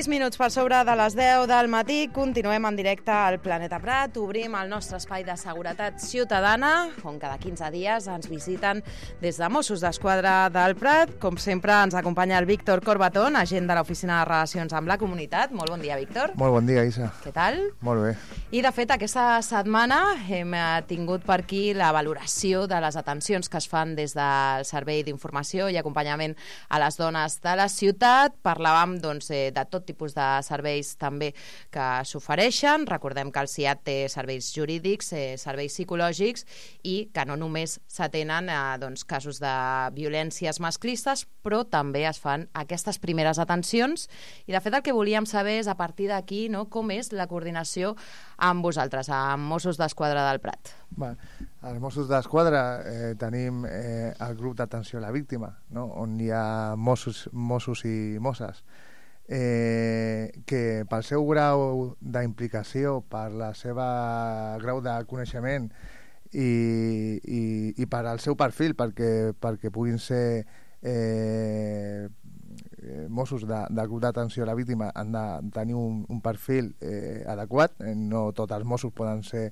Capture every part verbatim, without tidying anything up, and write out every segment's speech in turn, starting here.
sis minuts per sobre de les deu del matí, continuem en directe al Planeta Prat, obrim el nostre espai de seguretat ciutadana, on cada quinze dies ens visiten des de Mossos d'Esquadra del Prat. Com sempre ens acompanya el Víctor Corbatón, agent de l'Oficina de Relacions amb la Comunitat. Molt bon dia, Víctor. Molt bon dia, Isa. Què tal? Molt bé. I de fet, aquesta setmana hem tingut per aquí la valoració de les atencions que es fan des del Servei d'Informació i Acompanyament a les Dones de la Ciutat. Parlàvem doncs, de tot tipus de serveis també que s'ofereixen. Recordem que el C I A T té serveis jurídics, eh, serveis psicològics i que no només s'atenen eh, doncs, casos de violències masclistes, però també es fan aquestes primeres atencions. I de fet el que volíem saber és a partir d'aquí, no, com és la coordinació amb vosaltres, amb Mossos d'Esquadra del Prat. Bé, als Mossos d'Esquadra eh, tenim eh, el grup d'atenció a la víctima, no? On hi ha Mossos, Mossos i Mosses. Eh, que pel seu grau d'implicació, per la seva grau de coneixement i, i, i per al seu perfil, perquè, perquè puguin ser eh, Mossos de, del grup d'atenció a la víctima, han de tenir un, un perfil eh, adequat. No tots els Mossos poden ser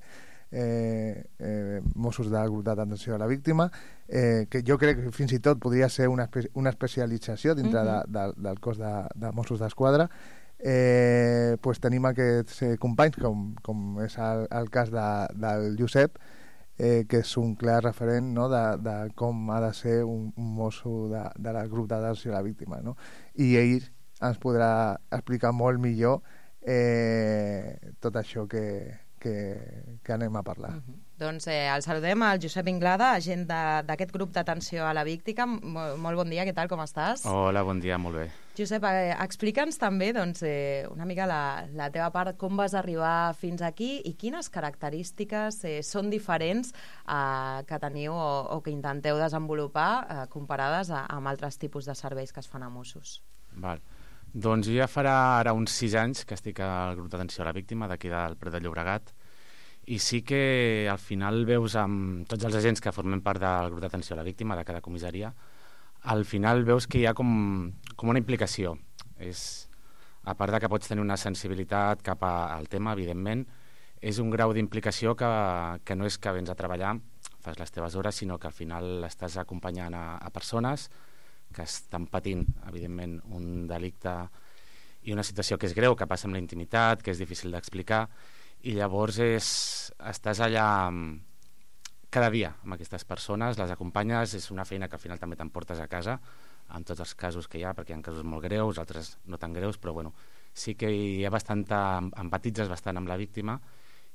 Eh, eh, Mossos del grup d'atenció a la víctima, eh, que jo crec que fins i tot podria ser una, espe una especialització dintre uh-huh. de, de, del cos de, de Mossos d'Esquadra. Eh, pues tenim aquests eh, companys, com, com és el, el cas de, del Josep, eh, que és un clar referent, no, de, de com ha de ser un, un mosso de, de del grup d'atenció a la víctima, no? I ell ens podrà explicar molt millor eh, tot això que Que, que anem a parlar. Uh-huh. Doncs eh, el saludem al Josep Inglada, agent d'aquest grup d'atenció a la víctima. Molt, molt bon dia, què tal, com estàs? Hola, bon dia, molt bé. Josep, eh, explica'ns també doncs, eh, una mica la, la teva part, com vas arribar fins aquí i quines característiques eh, són diferents eh, que teniu o, o que intenteu desenvolupar eh, comparades a, amb altres tipus de serveis que es fan a Mossos. Val. Doncs jo ja farà ara uns sis anys que estic al grup d'atenció a la víctima d'aquí del Prat de Llobregat, i sí que al final veus amb tots els agents que formem part del grup d'atenció a la víctima de cada comissaria, al final veus que hi ha com, com una implicació. És, a part de que pots tenir una sensibilitat cap a, al tema, evidentment, és un grau d'implicació que, que no és que vens a treballar, fas les teves hores, sinó que al final estàs acompanyant a, a persones que estan patint, evidentment, un delicte i una situació que és greu, que passa amb la intimitat, que és difícil d'explicar, i llavors és, estàs allà cada dia amb aquestes persones, les acompanyes, és una feina que al final també t'emportes a casa, en tots els casos que hi ha, perquè hi ha casos molt greus, altres no tan greus, però bueno, sí que hi ha bastanta, empatitzes bastant amb la víctima,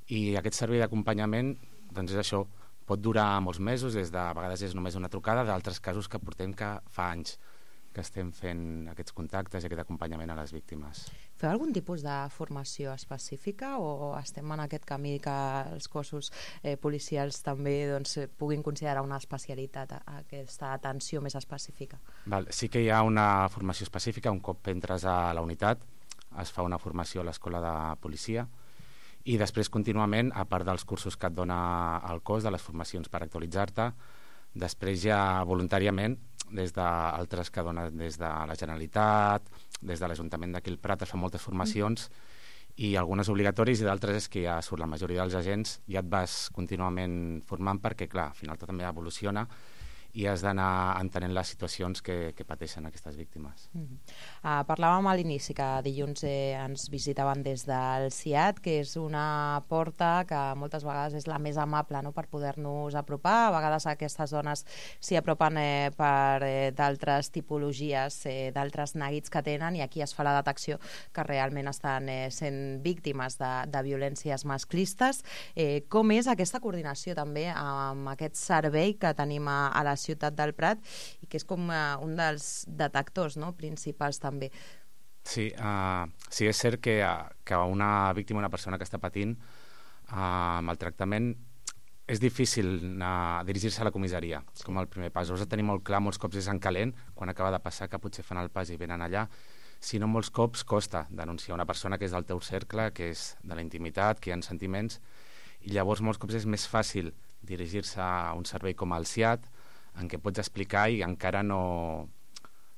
i aquest servei d'acompanyament, doncs és això, pot durar molts mesos, des de, a vegades és només una trucada, d'altres casos que portem que fa anys que estem fent aquests contactes i aquest acompanyament a les víctimes. Feu algun tipus de formació específica o estem en aquest camí que els cossos eh, policials també doncs, puguin considerar una especialitat, aquesta atenció més específica? Val, sí que hi ha una formació específica. Un cop entres a la unitat es fa una formació a l'escola de policia, i després contínuament, a part dels cursos que et dona el cos, de les formacions per actualitzar-te, després ja voluntàriament, des d'altres que donen des de la Generalitat, des de l'Ajuntament d'aquí al Prat, es fan moltes formacions, i algunes obligatoris, i d'altres és que ja surt la majoria dels agents, ja et vas contínuament formant perquè, clar, al final tot també evoluciona, i has d'anar entenent les situacions que, que pateixen aquestes víctimes. Mm-hmm. uh, parlàvem a l'inici que dilluns eh, ens visitaven des del C I A T, que és una porta que moltes vegades és la més amable, no?, per poder-nos apropar. A vegades aquestes dones s'hi apropen eh, per eh, d'altres tipologies, eh, d'altres neguits que tenen, i aquí es fa la detecció que realment estan eh, sent víctimes de, de violències masclistes. Eh, com és aquesta coordinació també amb aquest servei que tenim a, a la ciutat del Prat, i que és com uh, un dels detectors, no?, principals també? Sí, uh, sí, és cert que, uh, que una víctima, una persona que està patint uh, maltractament, és difícil uh, dirigir-se a la comissaria, com el primer pas. Us de tenir molt clar, molts cops és en calent, quan acaba de passar, que potser fan el pas i venen allà. Si no, molts cops costa denunciar una persona que és del teu cercle, que és de la intimitat, que hi ha sentiments, i llavors molts cops és més fàcil dirigir-se a un servei com el C I A T, en què pots explicar i encara no,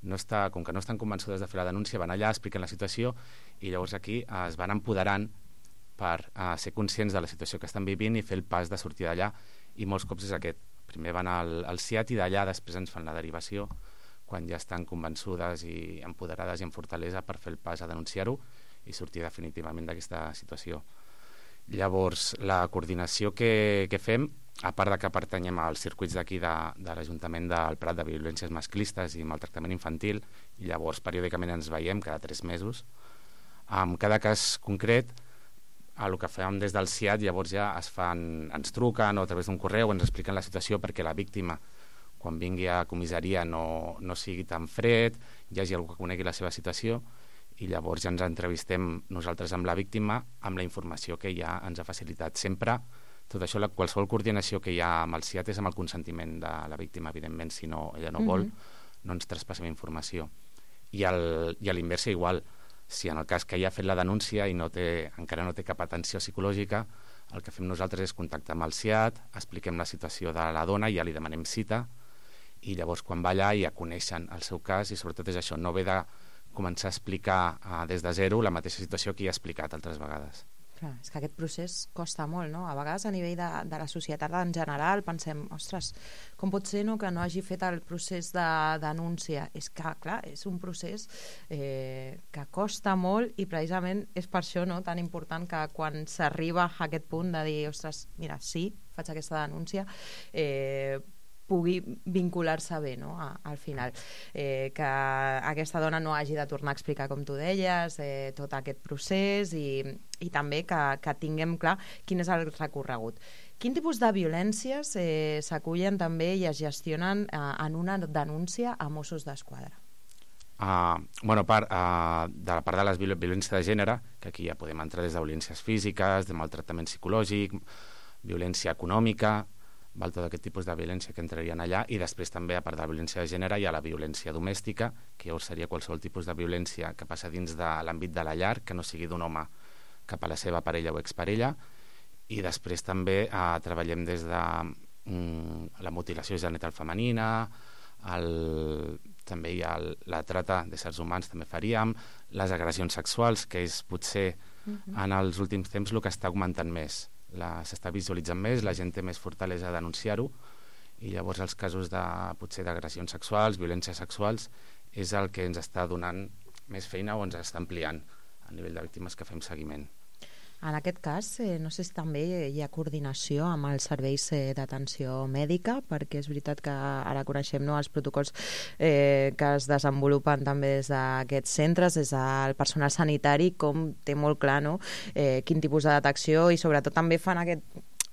no està, com que no estan convençudes de fer la denúncia, van allà, expliquen la situació i llavors aquí eh, es van empoderant per eh, ser conscients de la situació que estan vivint i fer el pas de sortir d'allà, i molts cops és aquest. Primer van al, al C I A T i d'allà després ens fan la derivació quan ja estan convençudes i empoderades i amb fortalesa per fer el pas a denunciar-ho i sortir definitivament d'aquesta situació. Llavors, la coordinació que, que fem, a part de que pertanyem als circuits d'aquí de, de l'Ajuntament del Prat de violències masclistes i maltractament infantil, i llavors periòdicament ens veiem cada tres mesos. En cada cas concret, el que fem des del C I A T, llavors ja es fan, ens truquen o a través d'un correu ens expliquen la situació perquè la víctima, quan vingui a comissaria, no, no sigui tan fred, hi hagi algú que conegui la seva situació, i llavors ja ens entrevistem nosaltres amb la víctima amb la informació que ja ens ha facilitat. Sempre, tot això, la, qualsevol coordinació que hi ha amb el C I A T és amb el consentiment de la víctima, evidentment, si no, ella no vol, mm-hmm. no ens traspassem informació. I, el, i a l'inversa igual, si en el cas que ja ha fet la denúncia i no té, encara no té cap atenció psicològica, el que fem nosaltres és contactar amb el C I A T, expliquem la situació de la dona, ja li demanem cita, i llavors quan va allà ja coneixen el seu cas, i sobretot és això, no ve de començar a explicar uh, des de zero la mateixa situació que ja ha explicat altres vegades. Clar, és que aquest procés costa molt, no? A vegades a nivell de, de la societat en general pensem, ostres, com pot ser no, que no hagi fet el procés de denúncia? És que, clar, és un procés eh, que costa molt, i precisament és per això no, tan important que quan s'arriba a aquest punt de dir, ostres, mira, sí, faig aquesta denúncia, eh, pugui vincular-se bé, no? A, al final. Eh, que aquesta dona no hagi de tornar a explicar, com tu deies, eh, tot aquest procés, i, i també que, que tinguem clar quin és el recorregut. Quin tipus de violències eh, s'acullen també i es gestionen eh, en una denúncia a Mossos d'Esquadra? Uh, bueno, a part, uh, de la part de les viol violències de gènere, que aquí ja podem entrar des de violències físiques, de maltractament psicològic, violència econòmica, val, tot aquest tipus de violència que entrarien allà, i després també, a part de la violència de gènere, hi ha la violència domèstica, que llavors seria qualsevol tipus de violència que passa dins de l'àmbit de la llar, que no sigui d'un home cap a la seva parella o exparella, i després també eh, treballem des de mm, la mutilació genital femenina, el, també hi ha el, la trata d'éssers humans, també faríem, les agressions sexuals, que és potser uh-huh. en els últims temps el que està augmentant més. S'està visualitzant més, la gent té més fortalesa a denunciar-ho, i llavors els casos de, potser d'agressions sexuals, violències sexuals, és el que ens està donant més feina o ens està ampliant a nivell de víctimes que fem seguiment. En aquest cas, eh, no sé si també hi ha coordinació amb els serveis eh, d'atenció mèdica, perquè és veritat que ara coneixem no, els protocols eh, que es desenvolupen també des d'aquests centres, des del personal sanitari, com té molt clar no, eh, quin tipus de detecció, i sobretot també fan aquest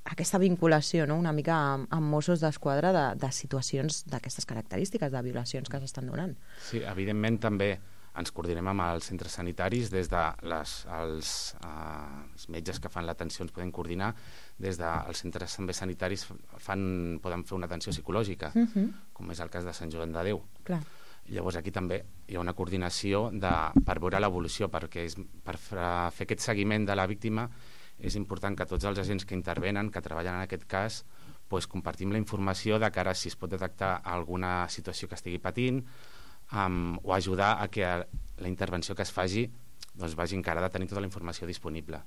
aquesta vinculació no? una mica amb, amb Mossos d'Esquadra de, de situacions d'aquestes característiques, de violacions que s'estan donant. Sí, evidentment també ens coordinem amb els centres sanitaris, des de les, els, eh, els metges que fan l'atenció ens poden coordinar, des dels centres també sanitaris fan, poden fer una atenció psicològica, uh-huh. com és el cas de Sant Joan de Déu. Clar. Llavors aquí també hi ha una coordinació de, per veure l'evolució, perquè és, per fer aquest seguiment de la víctima és important que tots els agents que intervenen, que treballen en aquest cas, pues, compartim la informació de cara a si es pot detectar alguna situació que estigui patint, Um, o ajudar a que la intervenció que es faci doncs, vagi encarada a tenir tota la informació disponible.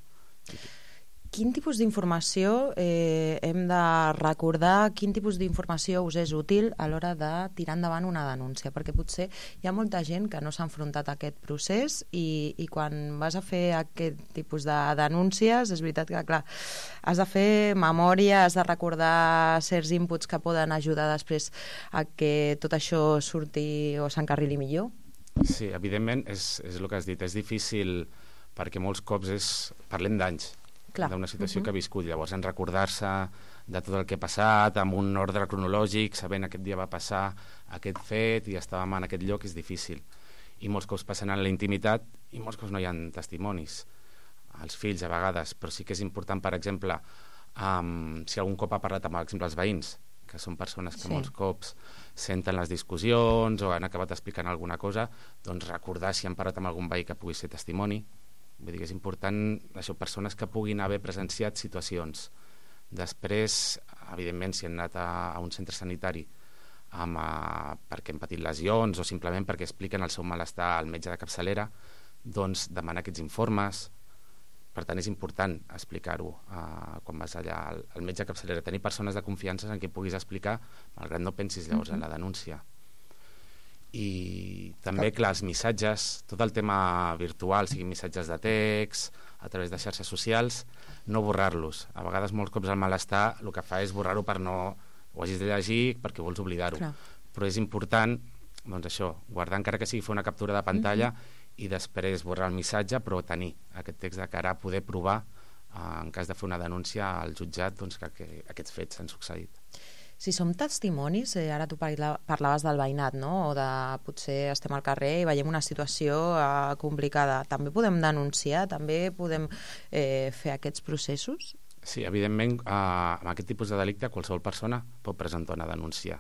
Quin tipus d'informació eh, hem de recordar, quin tipus d'informació us és útil a l'hora de tirar endavant una denúncia? Perquè potser hi ha molta gent que no s'ha enfrontat a aquest procés, i, i quan vas a fer aquest tipus de denúncies és veritat que, clar, has de fer memòria, has de recordar certs inputs que poden ajudar després a que tot això surti o s'encarrili millor? Sí, evidentment és, és el que has dit, és difícil perquè molts cops és, parlem d'anys, d'una situació uh-huh. que ha viscut, llavors en recordar-se de tot el que ha passat, amb un ordre cronològic, sabent aquest dia va passar aquest fet i estàvem en aquest lloc, és difícil. I molts cops passen en la intimitat i molts cops no hi ha testimonis. Els fills, a vegades, però sí que és important, per exemple, um, si algun cop ha parlat amb, per exemple, els veïns, que són persones que sí. molts cops senten les discussions o han acabat explicant alguna cosa, doncs recordar si han parlat amb algun veí que pugui ser testimoni. Vull dir que és important, això, persones que puguin haver presenciat situacions. Després, evidentment, si han anat a, a un centre sanitari amb, uh, perquè han patit lesions o simplement perquè expliquen el seu malestar al metge de capçalera, doncs demanar aquests informes. Per tant, és important explicar-ho uh, quan vas allà al, al metge de capçalera. Tenir persones de confiança en què puguis explicar, malgrat no pensis llavors en la denúncia. I també, clar, els missatges, tot el tema virtual, siguin missatges de text, a través de xarxes socials, no borrar-los. A vegades, molts cops, el malestar el que fa és borrar-ho per no... ho hagis de llegir perquè vols oblidar-ho. Clar. Però és important, doncs això, guardar encara que sigui fer una captura de pantalla mm-hmm. i després borrar el missatge, però tenir aquest text de cara a poder provar, eh, en cas de fer una denúncia al jutjat, doncs que, que aquests fets s'han succeït. Si som testimonis, eh, ara tu parla, parlaves del veïnat, no? O de potser estem al carrer i veiem una situació eh, complicada. També podem denunciar? També podem eh, fer aquests processos? Sí, evidentment, eh, amb aquest tipus de delicte qualsevol persona pot presentar una denúncia.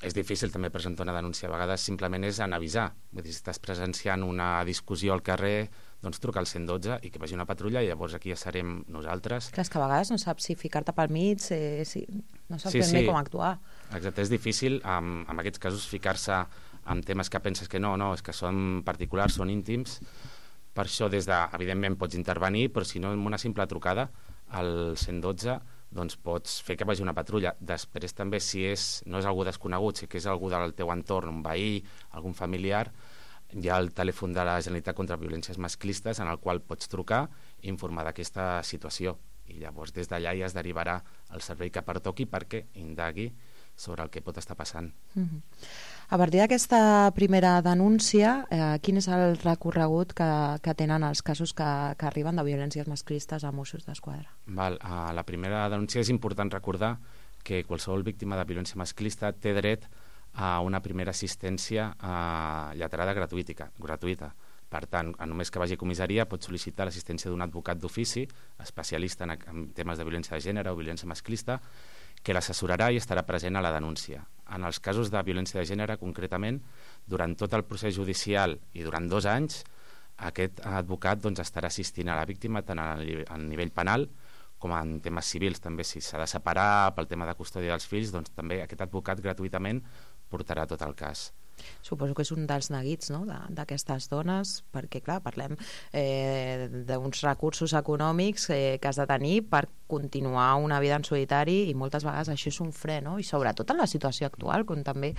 És difícil també presentar una denúncia, a vegades simplement és en avisar. Vull dir, si estàs presenciant una discussió al carrer, doncs truca al cent i dotze i que vagi una patrulla i llavors aquí ja serem nosaltres. Clar, és que a vegades no saps si ficar-te pel mig, eh, si... no saps sí, ben sí. bé com actuar. Exacte, és difícil en, en aquests casos ficar-se en temes que penses que no, no, és que són particulars, són íntims. Per això, des de, evidentment, pots intervenir, però si no, amb una simple trucada al cent i dotze, doncs pots fer que vagi una patrulla. Després també, si és, no és algú desconegut, si que és algú del teu entorn, un veí, algun familiar, hi ha el telèfon de la Generalitat contra Violències Masclistes en el qual pots trucar i informar d'aquesta situació. I llavors des d'allà ja es derivarà el servei que pertoqui perquè indagui sobre el que pot estar passant. Mm-hmm. A partir d'aquesta primera denúncia, eh, quin és el recorregut que, que tenen els casos que, que arriben de violències masclistes a Mossos d'Esquadra? Val, a la primera denúncia és important recordar que qualsevol víctima de violència masclista té dret a una primera assistència eh, lletrada gratuïta. gratuïta. Per tant, només que vagi a comissaria pot sol·licitar l'assistència d'un advocat d'ofici, especialista en, en temes de violència de gènere o violència masclista, que l'assessorarà i estarà present a la denúncia. En els casos de violència de gènere, concretament, durant tot el procés judicial i durant dos anys, aquest advocat doncs, estarà assistint a la víctima tant a nivell penal com en temes civils. També, si s'ha de separar pel tema de custòdia dels fills, doncs també aquest advocat gratuïtament portarà tot el cas. Suposo que és un dels neguits, no?, d'aquestes dones, perquè, clar, parlem eh, d'uns recursos econòmics eh, que has de tenir per continuar una vida en solitari i moltes vegades això és un fre, no?, i sobretot en la situació actual, com també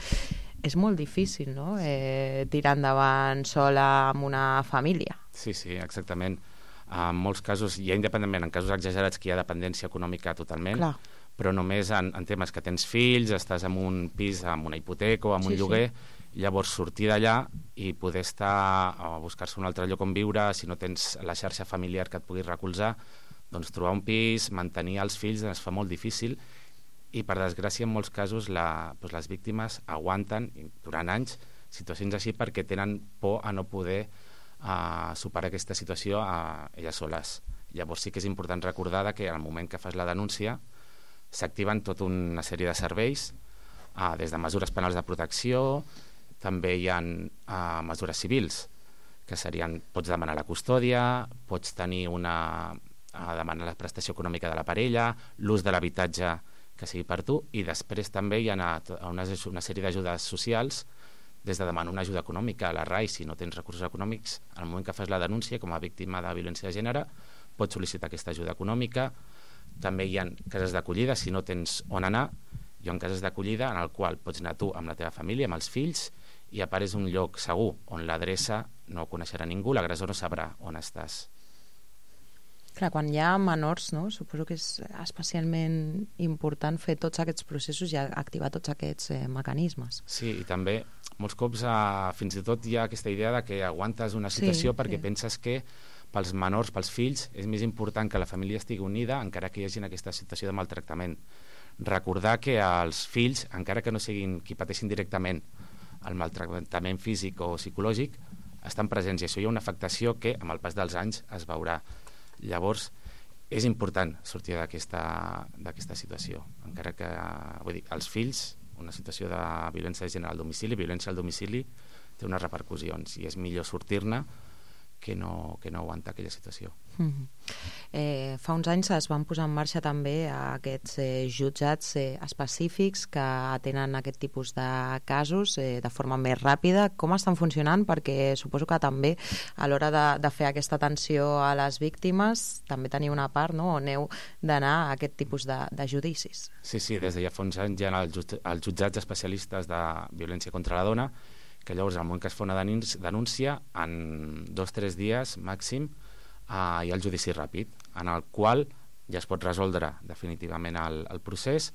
és molt difícil, no?, eh, tirar endavant sola amb una família. Sí, sí, exactament. En molts casos, ja independentment, en casos exagerats que hi ha dependència econòmica totalment, clar, però només en, en temes que tens fills, estàs en un pis amb una hipoteca o amb un sí, lloguer, sí. Llavors sortir d'allà i poder estar o buscar-se un altre lloc on viure, si no tens la xarxa familiar que et pugui recolzar, doncs trobar un pis, mantenir els fills es fa molt difícil i per desgràcia en molts casos la, doncs les víctimes aguanten durant anys situacions així perquè tenen por a no poder uh, superar aquesta situació a elles soles. Llavors sí que és important recordar que al moment que fas la denúncia s'activen tota una sèrie de serveis, uh, des de mesures penals de protecció, també hi ha uh, mesures civils, que serien, pots demanar la custòdia, pots tenir una, uh, demanar la prestació econòmica de la parella, l'ús de l'habitatge que sigui per tu, i després també hi ha una, una, una sèrie d'ajudes socials, des de demanar una ajuda econòmica a la R A I, si no tens recursos econòmics, al moment que fas la denúncia com a víctima de violència de gènere, pots sol·licitar aquesta ajuda econòmica. També hi ha cases d'acollida, si no tens on anar, hi ha cases d'acollida en el qual pots anar tu amb la teva família, amb els fills, i a part és un lloc segur, on l'adreça no coneixerà ningú, l'agressor no sabrà on estàs. Clar, quan hi ha menors, no? Suposo que és especialment important fer tots aquests processos i activar tots aquests eh, mecanismes. Sí, i també molts cops eh, fins i tot hi ha aquesta idea de que aguantes una situació sí, perquè sí. penses que pels menors, pels fills, és més important que la família estigui unida encara que hi hagi aquesta situació de maltractament. Recordar que els fills, encara que no siguin qui pateixin directament el maltractament físic o psicològic, estan presents i això hi ha una afectació que amb el pas dels anys es veurà. Llavors, és important sortir d'aquesta situació. Encara que, vull dir, els fills, una situació de violència de gènere al domicili, violència al domicili, té unes repercussions i és millor sortir-ne que no, que no aguanta aquella situació. Mm-hmm. eh, fa uns anys es van posar en marxa també aquests eh, jutjats eh, específics que atenen aquest tipus de casos eh, de forma més ràpida. Com estan funcionant? Perquè suposo que també a l'hora de, de fer aquesta atenció a les víctimes també teniu una part, no?, on heu d'anar a aquest tipus de, de judicis. Sí, sí, des de ja fa uns anys hi ha els, just, els jutjats especialistes de violència contra la dona, que llavors, al moment que es fa una denúncia, en dos o tres dies màxim, eh, hi ha el judici ràpid, en el qual ja es pot resoldre definitivament el, el procés,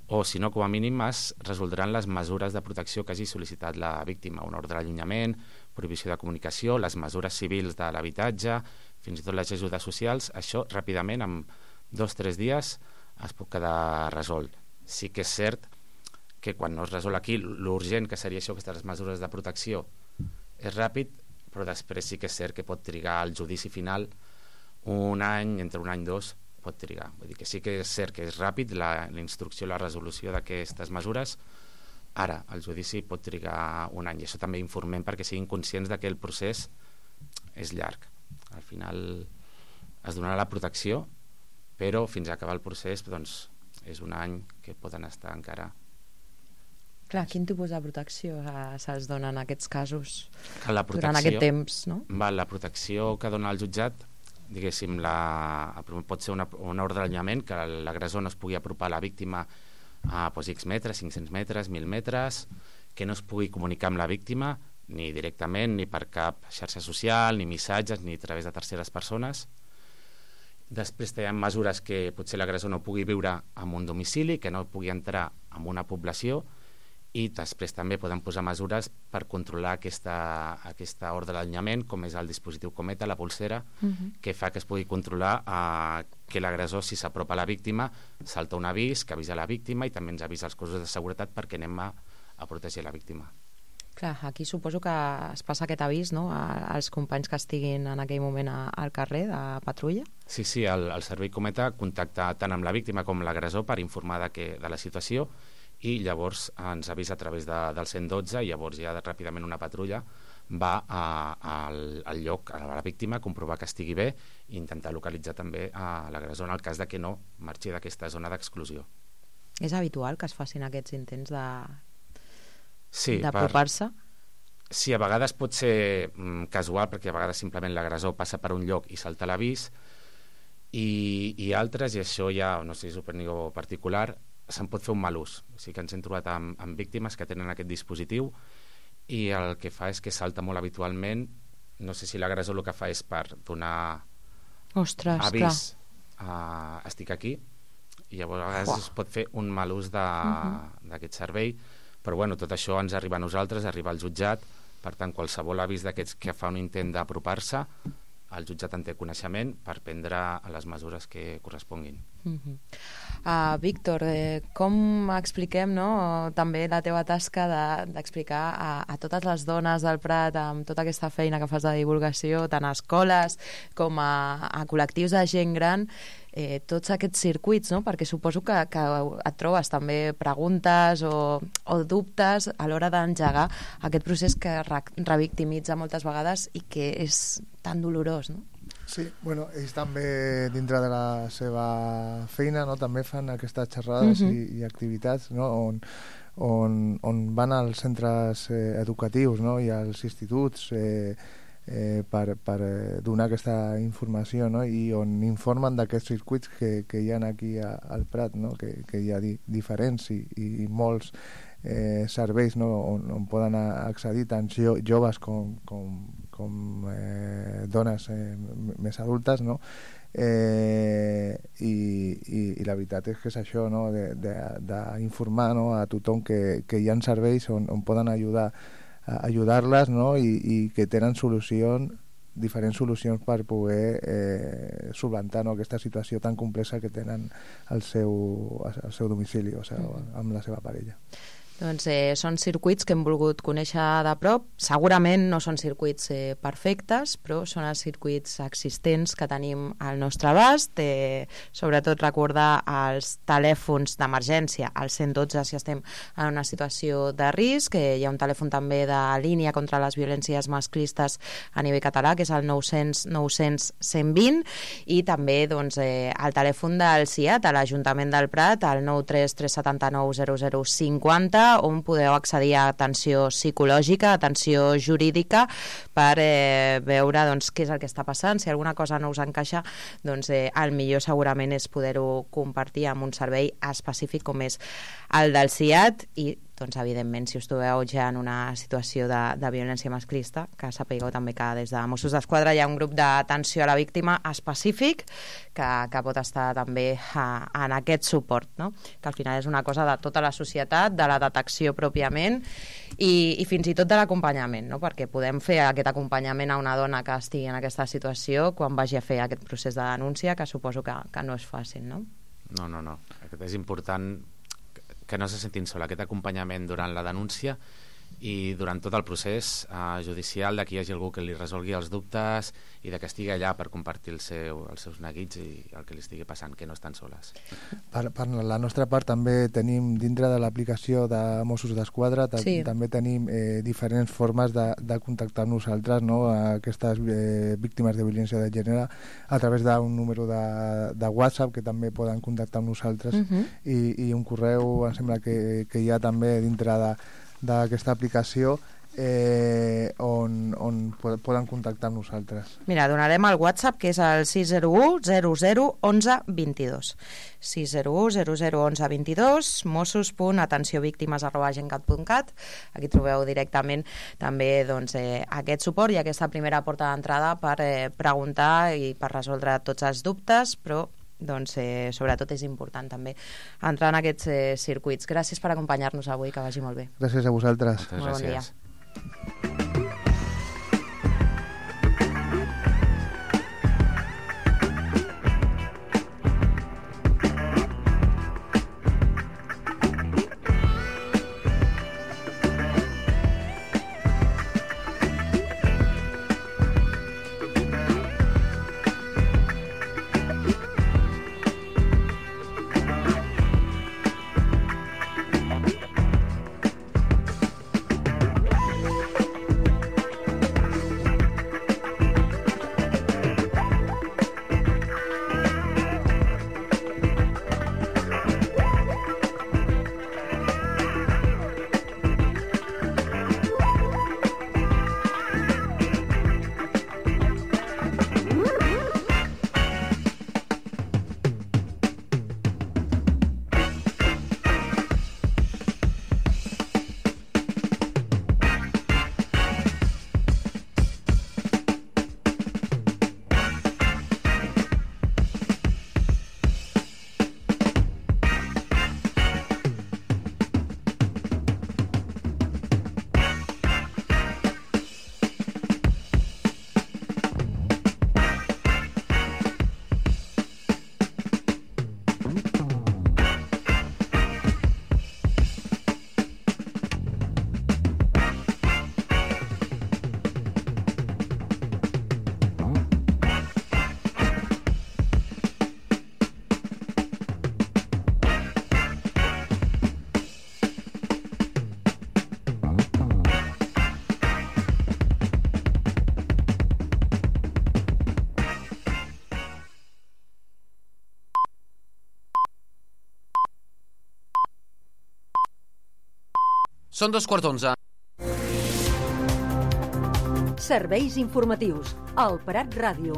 o si no, com a mínim es resoldran les mesures de protecció que hagi sol·licitat la víctima, un ordre d'allunyament, prohibició de comunicació, les mesures civils de l'habitatge, fins i tot les ajudes socials. Això ràpidament, en dos o tres dies, es pot quedar resolt. Sí que és cert que quan no es resol aquí, l'urgent que seria això, aquestes mesures de protecció, és ràpid, però després sí que és cert que pot trigar el judici final un any, entre un any i dos, pot trigar. Vull dir que sí que és cert que és ràpid la, la instrucció, la resolució d'aquestes mesures. Ara, el judici pot trigar un any, i això també informem perquè siguin conscients de que el procés és llarg. Al final es donarà la protecció, però fins a acabar el procés, doncs, és un any que poden estar encara. Clar, quin tipus de protecció eh, se'ls dona en aquests casos la protecció, durant aquest temps, no? Va, la protecció que dona el jutjat, diguéssim, la, pot ser una, una ordre d'allunyament, que l'agressor no es pugui apropar a la víctima a doncs, X metres, cinc-cents metres, mil metres, que no es pugui comunicar amb la víctima ni directament, ni per cap xarxa social, ni missatges, ni a través de terceres persones. Després hi ha mesures que potser l'agressor no pugui viure en un domicili, que no pugui entrar en una població, i després també poden posar mesures per controlar aquesta, aquesta ordre d'allunyament, com és el dispositiu Cometa, la pulsera, uh-huh. que fa que es pugui controlar eh, que l'agressor, si s'apropa a la víctima, salta un avís, que avisa la víctima, i també ens avisa els cossos de seguretat perquè anem a, a protegir la víctima. Clar, aquí suposo que es passa aquest avís, no?, als companys que estiguin en aquell moment a, al carrer de patrulla. Sí, sí, el, el servei Cometa contacta tant amb la víctima com l'agressor per informar de, que, de la situació, i llavors ens avisa a través de, del cent dotze, i llavors ja ràpidament una patrulla va a, a, al, al lloc, a la víctima, comprovar que estigui bé i intentar localitzar també a l'agressor en el cas de que no marxi d'aquesta zona d'exclusió. És habitual que es facin aquests intents de sí, d'apropar-se? Per... Sí, a vegades pot ser mm, casual, perquè a vegades simplement l'agressor passa per un lloc i salta l'avís, i, i altres, i això ja no sé si és opinió particular, se'n pot fer un mal ús. O sigui que ens hem trobat amb, amb víctimes que tenen aquest dispositiu i el que fa és que salta molt habitualment. No sé si l'agressor el que fa és per donar Ostres, avís uh, estic aquí, i llavors a vegades Uah. es pot fer un mal ús d'aquest uh-huh. servei, però bueno, tot això ens arriba a nosaltres, arriba al jutjat. Per tant, qualsevol avís d'aquests que fa un intent d'apropar-se, el jutjat en té coneixement per prendre les mesures que corresponguin. Uh-huh. Uh, Víctor, eh, com expliquem, no?, també la teva tasca d'explicar de, a, a totes les dones del Prat, amb tota aquesta feina que fas de divulgació, tant a escoles com a, a col·lectius de gent gran, eh, tots aquests circuits, no?, perquè suposo que, que et trobes també preguntes o, o dubtes a l'hora d'engegar aquest procés que re, revictimitza moltes vegades i que és tan dolorós, no? Sí, bueno, ells també dintre de la seva feina, no, també fan aquestes xerrades uh-huh. i, i activitats, no, on, on, on van als centres eh, educatius, no, i als instituts eh, eh, per, per donar aquesta informació, no, i on informen d'aquests circuits que, que hi ha aquí a, al Prat, no, que, que hi ha di, diferents i, i molts eh, serveis, no, on, on poden accedir tant jo, joves com, com, com eh, dones eh, més adultes, no? Eh, i, i, i la veritat és que és això, no? d'informar, no? a tothom que, que hi ha serveis on, on poden ajudar a ajudar-les, no? I, i que tenen solucions, diferents solucions per poder eh, solventar, no? aquesta situació tan complexa que tenen al seu, al seu domicili, o sigui, amb la seva parella. Doncs eh, són circuits que hem volgut conèixer de prop. Segurament no són circuits eh, perfectes, però són els circuits existents que tenim al nostre abast. Eh, sobretot recordar els telèfons d'emergència, al cent dotze si estem en una situació de risc. Eh, hi ha un telèfon també de línia contra les violències masclistes a nivell català, que és el nou cents nou cents cent vint, i també doncs, eh, el telèfon del C I A T, a l'Ajuntament del Prat, el nou tres tres set nou zero zero cinquanta, on podeu accedir a atenció psicològica, atenció jurídica, per eh, veure doncs, què és el que està passant. Si alguna cosa no us encaixa, doncs eh, el millor segurament és poder-ho compartir amb un servei específic com és el del C I A T, i doncs, evidentment, si us trobeu ja en una situació de, de violència masclista, que sapigueu també que des de Mossos d'Esquadra hi ha un grup d'atenció a la víctima específic que, que pot estar també a, en aquest suport, no? Que al final és una cosa de tota la societat, de la detecció pròpiament i, i fins i tot de l'acompanyament, no? Perquè podem fer aquest acompanyament a una dona que estigui en aquesta situació quan vagi a fer aquest procés de denúncia, que suposo que, que no és fàcil, no? No, no, no. És important que no se sentin sola, aquest acompanyament durant la denúncia i durant tot el procés eh, judicial, de que hi hagi algú que li resolgui els dubtes i de que estigui allà per compartir el seu, els seus neguits i el que li estigui passant, que no estan soles. Per, per la nostra part també tenim, dintre de l'aplicació de Mossos d'Esquadra, sí. també tenim eh, diferents formes de, de contactar amb nosaltres, no? Aquestes eh, víctimes de violència de gènere, a través d'un número de, de WhatsApp que també poden contactar amb nosaltres, uh-huh. i, i un correu, em sembla que, que hi ha també dintre de d'aquesta aplicació eh, on, on poden contactar amb nosaltres. Mira, donarem el WhatsApp, que és el sis zero u zero zero onze vint dos. sis zero u zero zero onze vint dos, mossos punt atenció víctimes arroba gencat punt cat. Aquí trobeu directament també doncs, eh, aquest suport i aquesta primera porta d'entrada per eh, preguntar i per resoldre tots els dubtes, però doncs eh, sobretot és important també entrar en aquests eh, circuits. Gràcies per acompanyar-nos avui, que vagi molt bé. Gràcies a vosaltres. Moltes molt gràcies. Bon dia. Són dos quarts d'onze. Serveis informatius. El Prat Ràdio.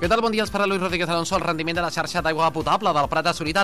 Què tal? Bon dia, els parla Luis Rodríguez Alonso. El rendiment de la xarxa d'aigua potable del Prat ha assolit